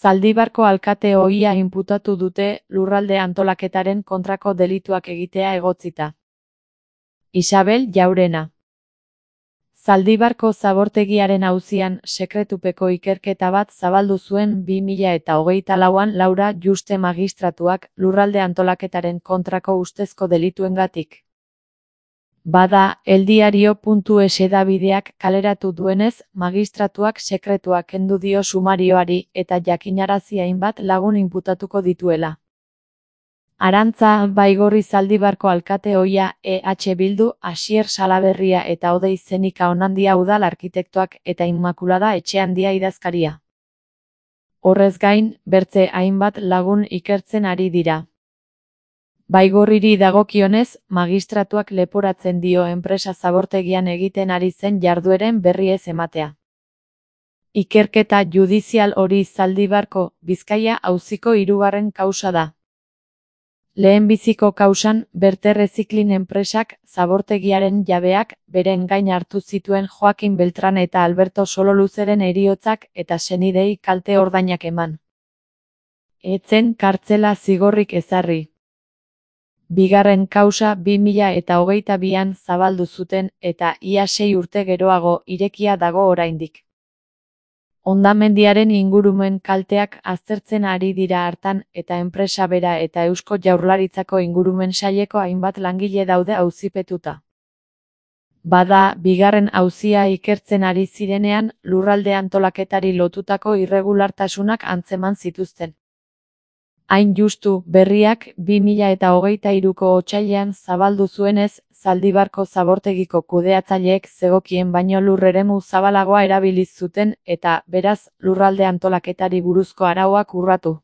Zaldibarko alkate ohia inputatu dute lurralde antolaketaren kontrako delituak egitea egotzita. Isabel Jaurena. Zaldibarko zabortegiaren auzian sekretupeko ikerketa bat zabaldu zuen 2024an Laura Juste magistratuak lurralde antolaketaren kontrako ustezko delituengatik. Bada, eldiario.es hedabideak kaleratu duenez, magistratuak sekretua kendu dio sumarioari eta jakinarazi hainbat lagun inputatuko dituela. Arantza Baigorri Zaldibarko alkate ohia EH Bildu, Asier Salaberria eta Odei Zenika Onandia udal arkitektoak eta Inmakulada Etxeandia idazkaria. Horrez gain, bertze hainbat lagun ikertzen ari dira. Baigorriri dagokionez, magistratuak leporatzen dio enpresa zabortegian egiten ari zen jardueren berri ez ematea. Ikerketa judizial hori Zaldibarko, Bizkaia auziko 3. kausa da. Lehenbiziko kausan, Berterreziklin enpresak zabortegiaren jabeak beren gain hartu zituen Joakin Beltran eta Alberto Sololuzeren heriotzak eta senidei kalte ordainak eman. Etzen kartzela zigorrik ezarri. Bigarren kausa 2022an zabaldu zuten eta ia 6 urte geroago irekia dago oraindik. Hondamendiaren ingurumen kalteak aztertzen ari dira hartan eta enpresa bera eta Eusko Jaurlaritzako ingurumen saileko hainbat langile daude auzipetuta. Bada, bigarren auzia ikertzen ari zirenean lurralde antolaketari lotutako irregulartasunak antzeman zituzten. Hain justu, berriak 2023ko otsailean zabaldu zuenez, Zaldibarko zabortegiko kudeatzaileek zegokien baino lur eremu zabalagoa erabiliz zuten eta, beraz, lurralde antolaketari buruzko arauak urratu.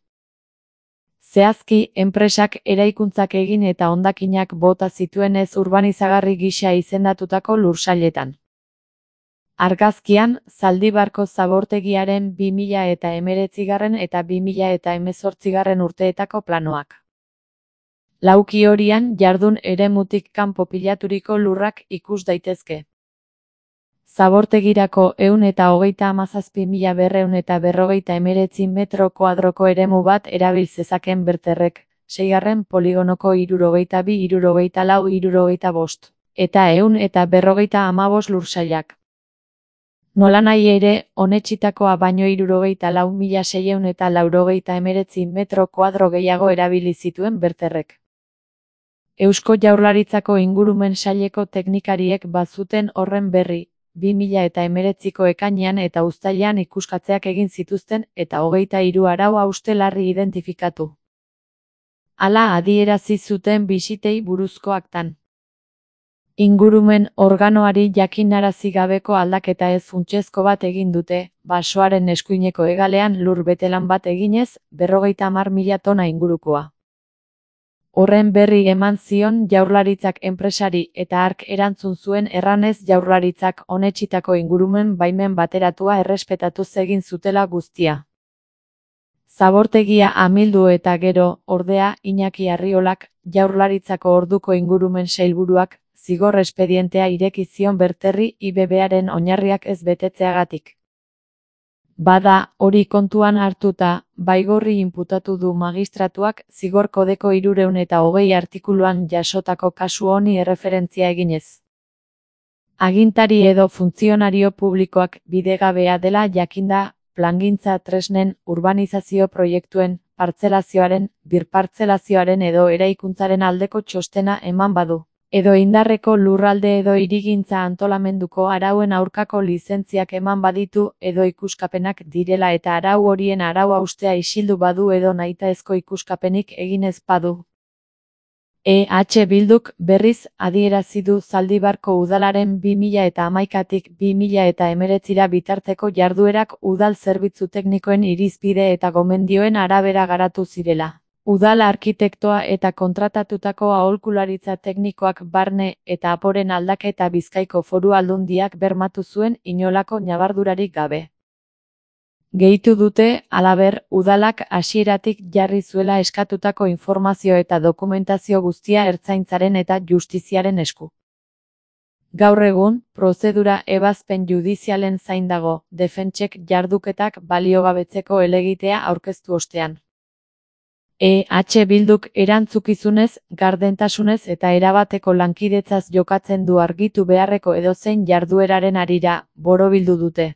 Zehazki, enpresak eraikuntzak egin eta hondakinak bota zituenez urbanizagarri gisa izendatutako lursailetan. Argazkian, Zaldibarko zabortegiaren 2019 eta 2018 urteetako planoak. Lauki horian jardun eremutik kanpo pilaturiko lurrak ikus daitezke. Zabortegirako 137.249 metro kuadroko eremu bat erabil zezaken Berterrek, 6. poligonoko 62-64-65, eta 155 lursailak. Nolanahi ere, onetsitakoa baino 64.689 metro kuadro gehiago erabili zituen Berterrek. Eusko Jaurlaritzako ingurumen saileko teknikariek bazuten horren berri, 2019ko ekainean eta uztailean ikuskatzeak egin zituzten eta 23 arau hauste larri identifikatu. Hala adierazi zuten bisitei buruzko aktan. Ingurumen organoari jakinarazi gabeko aldaketa ez funtsezko bat egin dute, basoaren eskuineko hegalean lur betelan bat eginez, 50.000 tona ingurukoa. Horren berri eman zion Jaurlaritzak enpresari eta hark erantzun zuen erranez Jaurlaritzak onetsitako ingurumen baimen bateratua errespetatuz egin zutela guztia. Zabortegia amildu eta gero, ordea, Iñaki Arriolak, Jaurlaritzako orduko ingurumen sailburuak, zigor espedientea ireki zion Berterri IBBaren oinarriak ez betetzeagatik. Bada, hori kontuan hartuta, Baigorri inputatu du magistratuak zigor kodeko 320 artikuluan jasotako kasu honi erreferentzia eginez. Agintari edo funtzionario publikoak bidegabea dela jakinda, plangintza tresnen, urbanizazio proiektuen, partzelazioaren, birpartzelazioaren edo eraikuntzaren aldeko txostena eman badu. Edo indarreko lurralde edo hirigintza antolamenduko arauen aurkako lizentziak eman baditu edo ikuskapenak direla eta arau horien arau haustea isildu badu edo nahitaezko ikuskapenik egin ez badu. EH Bilduk berriz adierazi du Zaldibarko udalaren 2011tik 2019 bitarteko jarduerak udal zerbitzu teknikoen irizpide eta gomendioen arabera garatu zirela. Udal arkitektoa eta kontratatutako aholkularitza teknikoak barne eta aporen aldaketa Bizkaiko Foru Aldundiak bermatu zuen inolako ñabardurarik gabe. Gehitu dute, halaber, udalak hasieratik jarri zuela eskatutako informazio eta dokumentazio guztia ertzaintzaren eta justiziaren esku. Gaur egun, prozedura ebazpen judizialen zain dago, defentsek jarduketak baliogabetzeko helegitea aurkeztu ostean. Bilduk erantzukizunez, gardentasunez eta erabateko lankidetzaz jokatzen du argitu beharreko edozein jardueraren harira, borobildu dute.